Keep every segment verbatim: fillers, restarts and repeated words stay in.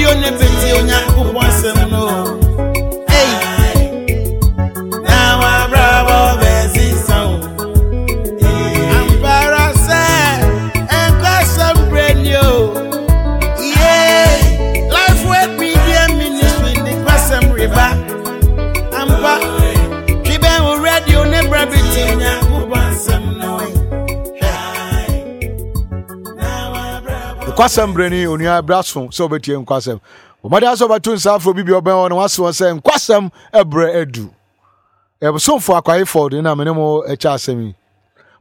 Radio ne bɛtie Onyankopɔn asɛm no. Ei, na wabrabɔ bɛsesa wo. Ampa ara sɛ nkwasɛm berɛ ni o. Yeah, Life Word Media Ministry de kwasɛm reba. Ampa, twe bɛn wo radio ne bra bɛtie Onyankopɔn asɛm no. Hwɛ, na wabrabɔ Nkwasɛm berɛ ni, onua. Berɛ aso sɛ wobɛtie nkwasɛm. Wɔmmɔde sɛ wobɛto nsa afrɛ obi bi ɔbɛn hɔ na wase wɔn sɛ nkwasɛm ɛberɛ adu. Ɛbosomfo Akwayefoɔ de na mene mo ɛkyɛ asɛm yi.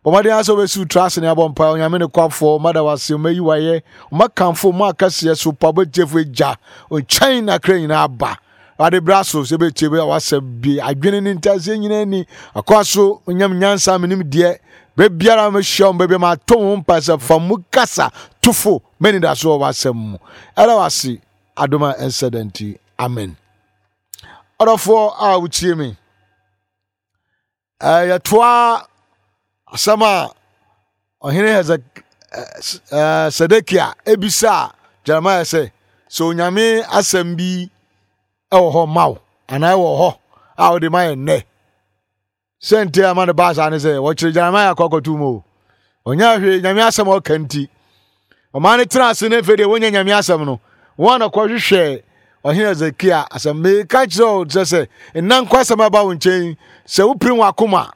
Bɔmmɔden sɛ wobɛsiw tra ase ne abɔ mpa. Onyame ne kwafoɔ, mada wase, ɔmayi wayɛ, ɔmakamfo ma akɛseɛ so pa wobɛtiefo agya ɔnkyɛn nakra nyinaa aba. Ade berɛ aso sɛ bɛtie bɛ wasɛm bi adwene ne ntaseɛ nyinaa ni akoa so nyam nyansa menim deɛ berɛ biara mehyia wo baabi mato wo mpa sɛ fa mu kasa tofo m'anidaso wɔ w'asɛm mu. Ɛda wase adom a ɛnsɛ da nti, amen. Ɔdɔfoɔ a wotie me, ɛɛ yɛtoa asɛm a ɔhene Hezek ɛɛ Sedekia ebisa Jeremiah sɛ sɛ Onyame asɛm bi ɛwɔ hɔ ma wo anaa ɛwɔ hɔ a wode ma yɛ nnɛ. Sɛ nti ama ne baa saa ne sɛ wɔkyerɛ Jeremiah kɔ akɔto mu o, ɔnyɛ hwee. Nyame asɛm a ɔka nti ɔmaa ne tena ase. Ne mfe deɛ wɔnya Nyame asɛm no, wɔn na kɔhwehwɛ ɔhene Hezekia asɛm. Meka kyerɛ wo sɛ sɛ nna nkɔ asɛm aba wo nkyɛn sɛ wopere wo akoma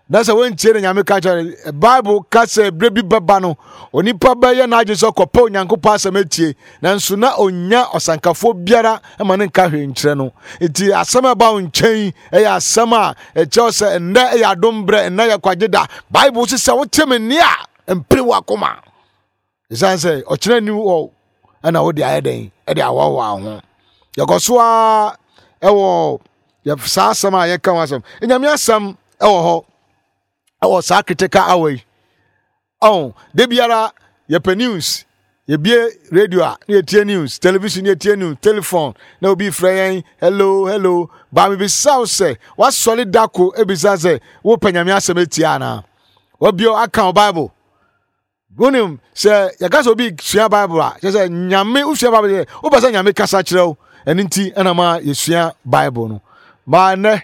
na sɛ wɔntie ne Nyame ka kyerɛ. Bible ka sɛ berɛ bi bɛba no, onipa bɛyɛ n'adwe sɛ ɔkɔpɛ Onyankopɔn asɛm atie, nanso na ɔnya ɔsankafoɔ biara ma ne nka hwee nkyerɛ no. Nti asɛm a ɛba wo nkyɛn ɛyɛ asɛm a ɛkyerɛ sɛ nnɛ ɛyɛ adom berɛ, nnɛ yɛ kwagye da. Bible sɛ sɛ wote me nne a, mpere w'akoma, ɛsiane sɛ ɔkyerɛ ni wɔ ɛna wode ayɛ dɛn ɛde awawa ho. Yɛkɔ so a ɛwɔ saa asɛm a yɛka ho asɛm. Nyame asɛm ɛwɔ hɔ ɛwɔ saa critical hour yi. Ɔn de biara yɛpɛ news, yɛbie radio a na yɛtie news, television na yɛtie news, telephone na obi frɛ yɛn, "Hello, hello." Baa mebisa wo sɛ wasɔre dako ebisa sɛ wopɛ Nyame asɛm etie anaa wabio aka wo Bible? Wonim sɛ yɛka sɛ obi sua Bible a, kyerɛ sɛ Nyame wosua Bible sɛ wopɛ sɛ Nyame kasa kyerɛ wo. Ɛno nti ɛna ma yɛsua Bible no. Maa nnɛ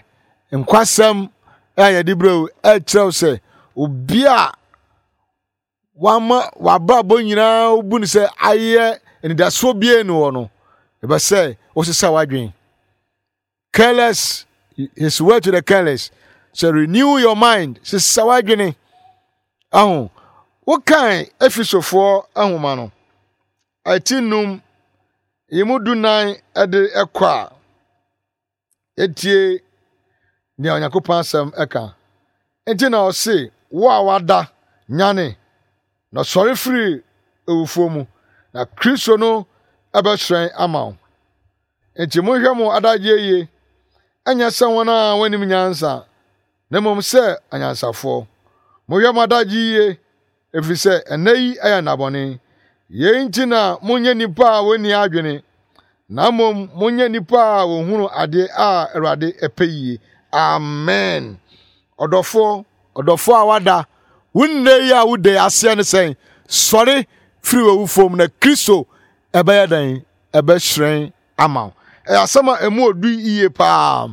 nkwasɛm a yɛde brɛ wo ɛkyerɛ wo sɛ obi a wama w'abrabɔ nyinaa wobu no sɛ ayɛ anidasoɔ bie no wɔ no, ɛbɛ sɛ wosesa w'adwen. Careless, his word to the careless sɛ renew your mind, sesa w'adwene. Aho wokan Efisofoɔ ahoma no ɛti num yi mu du nan ɛde ɛkɔ a, etie nea Onyankopɔn asɛm ɛka. Nti na ɔse, "Wo a wada, nyane na sɔre firi ewufoɔ mu, na Kristo no ɛbɛhyerɛn ama wo. Nti monhwɛ mo adagyeɛ yie, ɛnyɛ sɛ wɔn a wɔnim nyansa, na mmom sɛ anyansafoɔ. Mohwɛ mo adagye yie, ɛfiri sɛ ɛnɛ yi ɛyɛ nnabɔne. Yei nti na monyɛ nnipa a wɔnni adwene, na mmom monyɛ nnipa a wɔhunu adeɛ a Awurade ɛpɛ yie." Amen. Ɔdɔfoɔ, ɔdɔfoɔ a wada, wo nnɛ yi a woda aseɛ ne sɛn? Sɔre firi w'awufoɔ mu na Kristo ɛbɛyɛ dɛn? Ɛbɛhyerɛn ama wo. Ɛyɛ asɛm a ɛmu odu yie paa.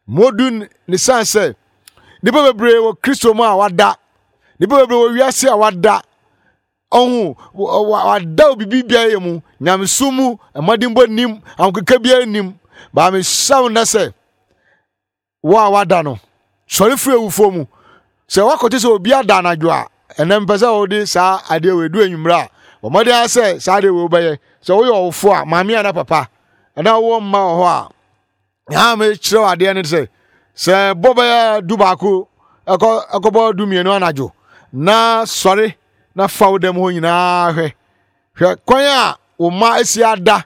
Mu odu ne san sɛ nnipa bebree wɔ Kristo mu a wada, nnipa bebree wɔ wiase a wada. Ɔho wada wɔ biribi biara yɛ mu, nyamesom mu, mmɔdenbɔ nim, ahokeka biara nim. Baa mehyɛ wo nnɛ sɛ wo a wada no, sɔre firi awufoɔ mu. Sɛ woakɔte sɛ obi ada anadwo a, ɛnɛ mpɛ sɛ wode saa adeɛ wɔ edu anwummerɛ a, wɔmmɔden ara sɛ saa adeɛ wɔ wobɛyɛ. Sɛ woyɛ ɔwofo a, maame ana papa ɛna wowɔ mma wɔ hɔ a, yaa mekyerɛ wo adeɛ no sɛ sɛ bɔ bɛyɛ du baako ɛkɔ ɛkɔbɔ du mmienu anadwo na sɔre na fa wo dɛm hɔ nyinaa hwɛ. Hwɛ kwan a wo mma asi ada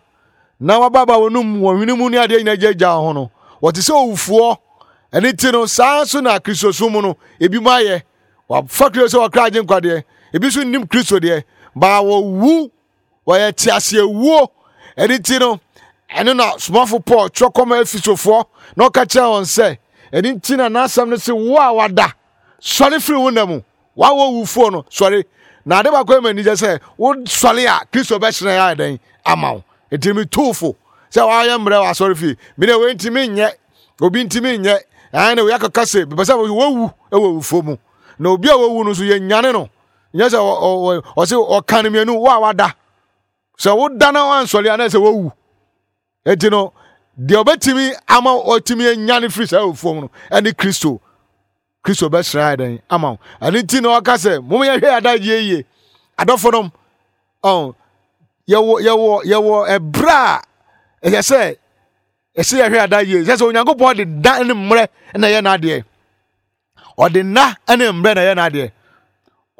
na wababa wɔn num, wɔn hwene mu ne adeɛ nyinaa gyagya ho no, wɔte sɛ owufoɔ. Ɛne ti no saa nso na Kristosom mu no ebi mu ayɛ. Wafa Kristo sɛ wɔkra agye nkwadeɛ, ebi nso nnim Kristo deɛ baa wɔwu, wɔyɛ te aseɛ wuo. Ɛne ti no ɛno na somafo Paul twerɛ kɔma Efisofoɔ na ɔka kyerɛ wɔn sɛ ɛne nti na n'asɛm no sɛ wo a wada, sɔre firi wo nna mu, wawɔ wufoɔ no, sɔre. Na ade baako yɛ ma anigye sɛ wosɔre a, Kristo bɛhyerɛn ayɛ dɛn ama wo. Enti metuu fo sɛ wayɛ mmerɛ wɔ asɔre fie. Me deɛ wei ntumi nyɛ, obi ntumi nyɛ. Ɛn na wei akɔka sɛ bɛpɛ sɛ wɔwu wɔ awufoɔ mu. Na obi a wɔwu no nso yɛnyane no. Nyɛ sɛ ɔse ɔka no mmienu, wo a wada. Sɛ woda na wansɔre a na sɛ wɔwu. Enti no, deɛ ɔbɛtumi ama ɔtumi anyane firi saa awufoɔ mu no ɛne Kristo. Kristo bɛhyerɛn ayɛ dɛn ama wo. Ɛno nti na ɔka sɛ mom yɛhwɛ yɛn adagyeɛ yie. Adɔfo nom, ɔn, yɛwɔ yɛwɔ yɛwɔ ɛberɛ a ɛyɛ sɛ ɛsɛ yɛhwɛ adagyeɛ yie. Sɛ sɛ Onyankopɔn de da ne mmerɛ na ɛyɛ n'adeɛ. Ɔde nna ne mmerɛ na ɛyɛ n'adeɛ.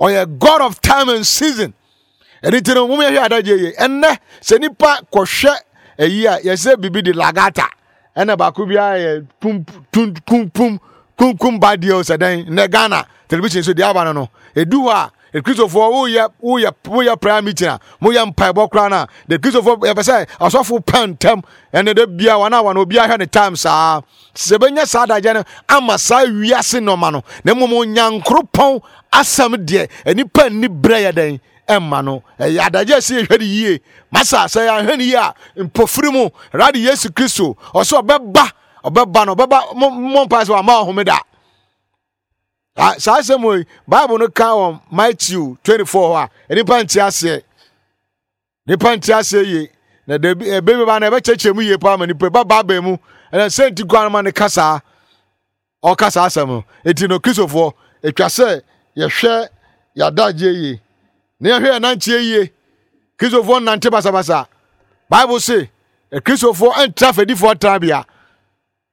Ɔyɛ God of time and season. Ɛno nti no mom yɛhwɛ adagyeɛ yie. Ɛnnɛ sɛ nipa kɔhwɛ ɛyi a yɛsɛ biribi de lagata ɛna baako biara yɛ pum tum kum pum kunkum ba deɛ sɛ dɛn nnɛ Ghana television so deɛ aba no no ɛdu hɔ a Kristofoɔ woyɛ woyɛ woyɛ prayer meeting a moyɛ mpaebɔ koraa no a de Kristofoɔ yɛpɛ sɛ asɔfo pɛ ntɛm ɛne da bia wɔn a wɔn obi ahwɛ ne time saa sɛ bɛnya saa adagyeɛ no ama saa wiase nneɛma no na mmom Onyankoropɔn asɛm deɛ nnipa nni berɛ yɛ dɛn ɛmma no ɛyɛ adagye a ɛsɛ yɛhwɛ no yie masa sɛ yɛanhwɛ no yie a mpofiri mu Awurade Yesu Kristo ɔsɛ ɔbɛba ɔbɛba no ɔbɛba mmɔ mpae sɛ wama ɔhomeda. Saa asɛm yi Bible no ka wɔ Matthew twenty-four hɔ a nnipa nte aseɛ nnipa nte aseɛ yie na dabi ebe bi ba na ɛbɛkyerɛkyerɛ mu yie paa ma nnipa ba ba bɛn mu ɛna sɛ nti kwan ma ne ka saa ɔka saa asɛm no. Eti no Kristofoɔ atwa sɛ yɛhwɛ yɛadagyeɛ yie na yɛhwɛ yɛn nanteɛ yie. Kristofoɔ nante basabasa. Bible se Kristofoɔ ntra fɛdifoɔ tenabea.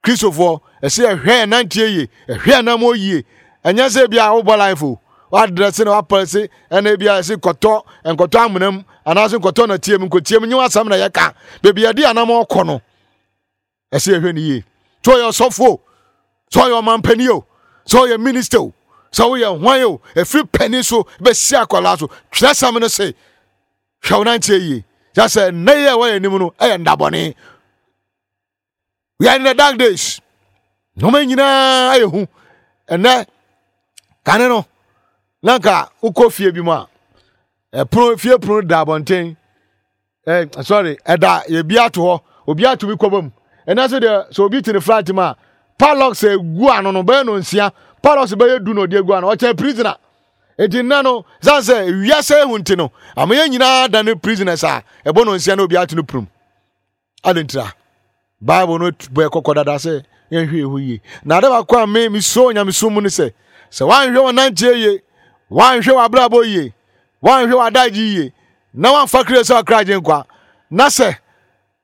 Kristofoɔ ɛsɛ yɛhwɛ yɛn nanteɛ yie, yɛhwɛ yɛn namɔ yie. Ɛnyɛ sɛ ebi a wobɔ life o, wadrɛse na wapɛrɛse ɛna ebi a ɛsɛ nkɔtɔ nkɔtɔ amena mu anaasɛ nkɔtɔ nɔteɛ mu nkɔtie mu nye w'asɛm na yɛka. Beebi yɛde anamɔ kɔ no ɛsɛ yɛhwɛ no yie. Sɛ ɔyɛ ɔsɔfo o, sɛ ɔyɛ ɔmampanin o, sɛ ɔyɛ minister o, sɛ woyɛ hwan o, ɛfiri panin so bɛsi akwadaa so, twerɛsɛm no se hwɛ wo nanteɛ yie. Kyerɛ sɛ nnɛ yi a ɛwɔ yɛn anim no ɛyɛ ndabɔne. We are in the dark days. Nneɛma nyinaa ayɛ hu. Ɛnɛ kane no na nka wokɔ fie bi mu a ɛpono fie pono da abɔnten eh, sorry ɛda yɛbi ato hɔ obi atumi kɔbɔ mu. Ɛnɛ so deɛ sɛ obi te ne flat mu a padlocks egu ano no bɛyɛ no nsia padlocks bɛyɛ du na ɔde egu ano ɔkyɛn prisoner. Eti nnɛ no san sɛ wiase ehu nti no ama yɛn nyinaa da ne prisoners a ɛbɔ no nsia na obi ato no prum. Adentira Bible no bɔ ɛkɔkɔ dada sɛ yɛnhwɛ yɛn ho yie. Na ade baako a me mesuro onyamesom mu ne sɛ sɛ woanhwɛ wɔn nanteɛ yie, woanhwɛ w'abrabɔ yie, woanhwɛ w'adagye yie, na woamfa Kristo sɛ ɔkra agye nkwa, na sɛ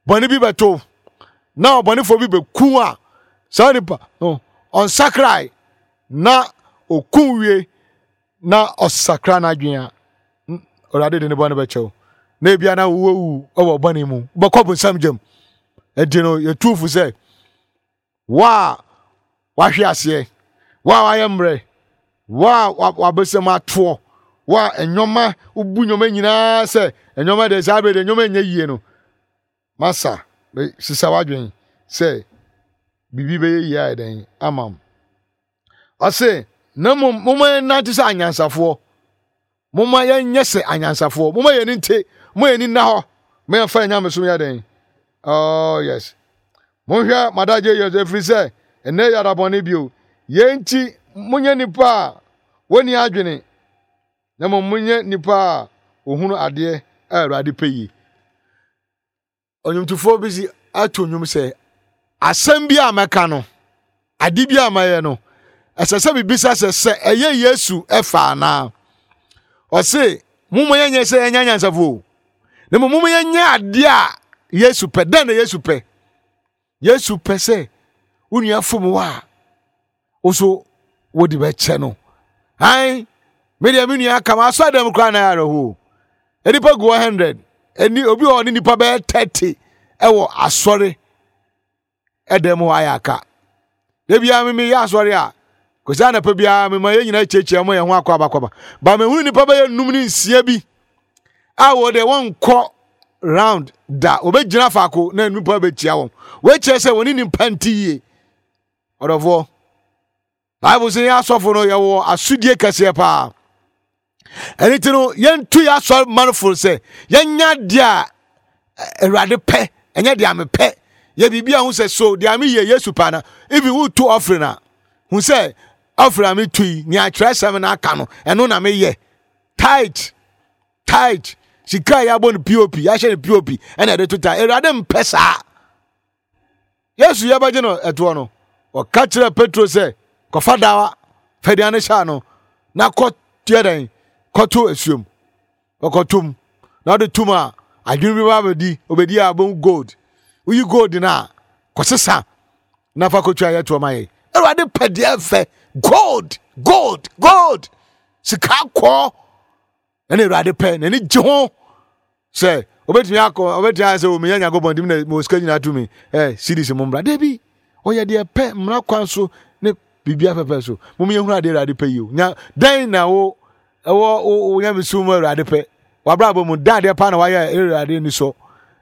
bɔne bi bɛto na ɔbɔnefoɔ bi bɛku a, saa nipa no ɔnsakrae na ɔku wie na ɔsakra n'adwene a, Awurade de ne bɔne bɛkyɛw. Na ebia na wowu wɔ bɔne mu, wobɛkɔ bonsam gyam. Enti no yɛtu fo sɛ wo a wahwe aseɛ, wo a wayɛ mmerɛ, wo a wabɛsɛm atoɔ, wo a nneɛma wobu nneɛma nyinaa sɛ nneɛma deɛ saa bere deɛ nneɛma nyɛ yie no, masa sisa w'adwene sɛ biribi bɛyɛ yie ayɛ dɛn ama wo. Ɔse na mmom momma yɛnnante sɛ anyansafoɔ, momma yɛnyɛ sɛ anyansafoɔ, momma yɛn ani nte, momma yɛn ani nna hɔ, momma yɛmfa yɛn nyamesom yɛ dɛn. Oh yes, monhwɛ madagye yɛ so ɛfiri sɛ ɛnnɛ yɛ adabɔne bio. Yɛn nti monyɛ nnipa a wɔnni adwene, na mmom monyɛ nnipa a wɔhunu adeɛ a Awurade pɛ yie. Ɔnwomtofoɔ bi si ato nnwom sɛ asɛm bi a mɛka no, ade bi a mɛyɛ no, ɛsɛ sɛ bibisa sɛ sɛ ɛyɛ Yesu ɛfa anaa. Ɔse momma yɛnyɛ sɛ yɛnyɛ anyansafo o, na mmom momma yɛnyɛ adeɛ a Yesu pɛ. Dɛn na Yesu pɛ? Yesu pɛ sɛ wo nua fom wo a, wo so wode bɛkyɛ no. Ae, me deɛ me nua aka m'asɔ dɛm koraa na ɛyɛ awerɛhoɔ. Nnipa gu hɔ hundred, ɛni obi wɔ hɔ ne nipa bɛyɛ thirty ɛwɔ asɔre ɛdɛm hɔ ayɛ aka. Da biara me meyɛ asɔre a, kɔsi anapa biara mema yɛn nyinaa kyiakyia mo yɛn ho akɔ abakɔba. Ba mehunu nipa bɛyɛ num ne nsia bi a wɔ deɛ wɔnkɔ round da, wɔbɛgyina faako na nipa bɛkyia wɔn. Wɔakyerɛ sɛ wɔne nipa nte yie. Ɔdɔfoɔ, Bible sɛ yɛn asɔfo no yɛwɔ asodie kɛseɛ paa. Ɛno nti no yɛntu yɛn asɔre manfo sɛ yɛnya adeɛ a Awurade pɛ, ɛnyɛ deɛ mepɛ. Yɛ biribi a ho sɛ so deɛ meyɛ Yesu pa na even wotu offering a, hu sɛ offering a metu yi, nea atwerɛsɛm no aka no, ɛno na meyɛ. Tight, tight. Sika a yɛabɔ no P O P, yɛahyɛ no P O P, ɛna ɛde to ta. Awurade mpɛ saa. Yesu yɛbɛgye no ɛtoɔ no, ɔka kyerɛ Petro sɛ kɔfa dawa fɛduane hyɛ no na kɔ tuɛ dɛn kɔto asuom. Ɔkɔtom na ɔde tom a, adwene bi ba bɛdi obɛdi a bɛhu gold. Woyi gold no a, kɔsesa na fa kɔtua yɛtoɔ ma yɛ. Awurade pɛ deɛ fɛ, gold, gold, gold, sika kɔɔ ɛna Awurade pɛ. N'ani gye ho sɛ obɛtumi akɔ, obɛtumi ayɛ sɛ omeyɛ Nyankopɔn ntim na mewɔ sika nyinaa tumi ɛ series mu mbra. Dabi, ɔyɛ deɛ pɛ mmara kwan so ne biribia pɛpɛ so. Mom yɛhunu adeɛ Awurade pɛ yi o. Nya dɛn na wo ɛwɔ wo nyamesom mu? Awurade pɛ wabrabɔ mu dan adeɛ pa na wayɛ Awurade ni so.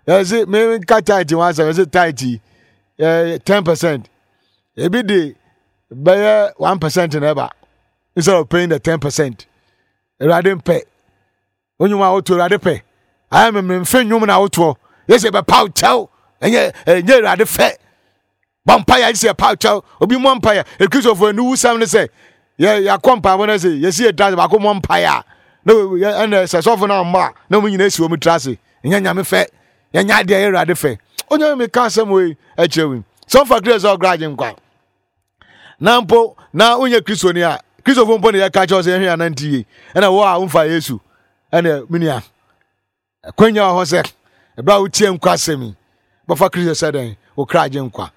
Yɛse menka tithe ho asɛm. Yɛse tithe ɛɛ ten percent, ebi de bɛyɛ one percent na ɛba instead of paying the ten percent. Awurade mpɛ onyum a woto. Awurade pɛ ayɛ mememfe nnwom na wotoɔ. Yɛsɛ bɛpaw kyɛw, ɛnyɛ ɛnyɛ Awurade fɛ. Bɔ mpa yɛ sɛ yɛpaw kyɛw, obi mmɔ mpa yɛ. Ekristofo aniwusɛm ne sɛ yɛ yɛakɔ mpaebɔ no sɛ yɛsi yɛ tira ase baako mmɔ mpa yɛ a, na ɛnɛ sɛ sɔfo no ammɔ a, na wɔn nyinaa esi wɔn tira ase. Ɛnyɛ Nyame fɛ. Yɛnyɛ adeɛ yɛ Awurade fɛ. Onyame mi ka asɛm wei akyerɛ wi sɛ ɔmfa Kristo sɛ ɔkra agye nkwa na mpo na wonyɛ Kristoni a, Kristofo mpo ne yɛka kyerɛ sɛ yɛhwɛ anante yie, ɛna wo a womfa Yesu ɛna menua akwanya wɔ hɔ sɛ ɛberɛ a wotie nkwa asɛm yi, bɛfa Kristo sɛ dɛn wo kra agye nkwa,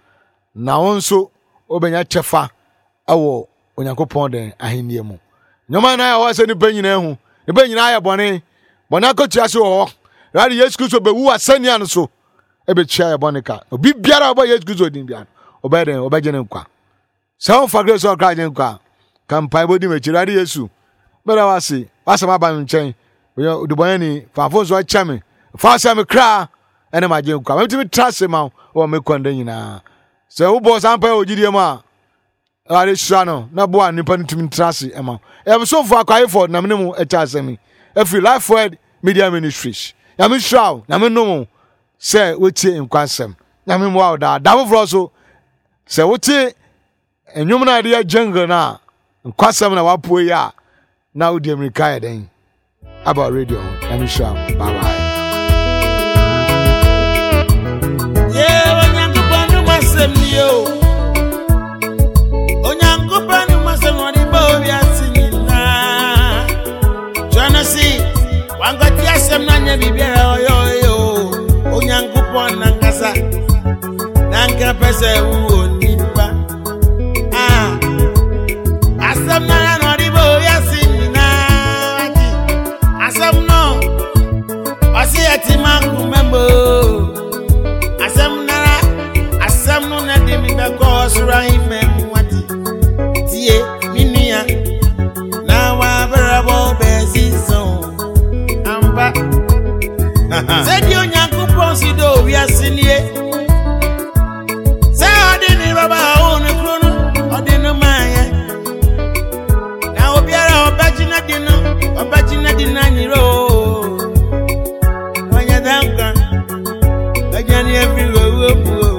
na wo nso wobɛnya kyɛfa ɛwɔ Onyankopɔn dɛn ahenniɛ mu. Nneɛma nan a ɛwɔ sɛ nipa nyinaa hu, nipa nyinaa yɛ bɔne, bɔne akatua so wɔ hɔ. Awurade Yesu Kristo bɛwu asɛnnua no so ɛbɛtua yɛ bɔne ka. Obi biara a ɔbɔ Yesu Kristo din biara, ɔbɛyɛ dɛn? Ɔbɛgye ne nkwa. Sɛ womfa Kristo ɔkra agye nkwa, ka mpaebɔ di m'akyi. Awurade Yesu, mɛda wo ase, w'asɛm aba me nkyɛn. Odubɔnyɛni, fa mfomso akyɛ me, fa sɛ me kra ɛne magye nkwa, mɛtumi tra ase ma wɔ me kwan da nyinaa. Sɛ wobɔ saa mpae wɔ gyidie mu a, Awurade hyira no na boa nipa no tumi tra ase ɛma ɛmsomfo akwayefoɔ nam ne mu ɛkyɛ asɛm yi ɛfiri Life Word Media Ministries. Nyame hyira wo, Nyame nom wo sɛ wotie nkwa nsɛm. Nyame mmoa wo daa. Da foforɔ so, sɛ wote nnwom no a yɛde yɛ jingle no a, nkwasɛm na wapoe yi a, na wodi mmirika yɛ dɛn aba radio ho. Nyame hyira wo. Bye bye. Yeah, Onyankopɔn no asɛm ni o. Onyankopɔn no asɛm na ɔde bɔ wiase nyinaa. Kyerɛ no se, wankɔte asɛm no anyɛ biribiara ɔyɛ ɔyɛ o. Onyankopɔn nankasa, nanka pɛ sɛ wowɔ nipa. Ah, asɛm no ara na ɔde bɔ wiase nyinaa. Ati, asɛm no, ɔse yɛte ma nkoma mu o. Asɛm nara, asɛm no na de mi bɛkɔ ɔsoro ahemma mu. Ate tie, me nua, na wabrabɔ bɛsi so ampa sɛdeɛ Onyankopɔn si dɔ wiase nie, sɛ ɔde ne baba a ɔwɔ ne kuro no, ɔde no maayɛ, na obiara a ɔbɛgye no di no, ɔbɛgye no di no anyerɛ o, ɔnyɛ da nkwa aduane afiri owuo mu o.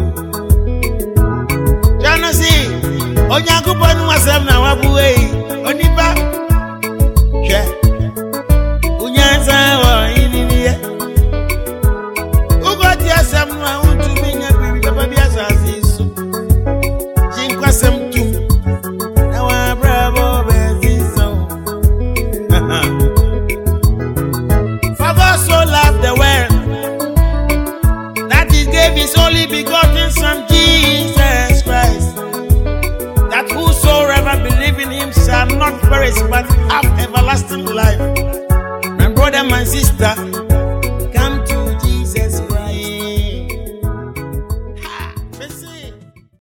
Twɛ no se Onyankopɔn no asɛm na waboa yi onipa. Hwɛ, wonyansa wɔ heniniɛ wokɔte asɛm no a, wontumi nya biribi papa bi asase yi so. Gye nkwasɛm tom na wabrabɔ bɛsi so. For God so loved the world that he gave his only begotten Son, Jesus Christ, that whosoever believe in him shall not perish but have everlasting life. My brother, my sister,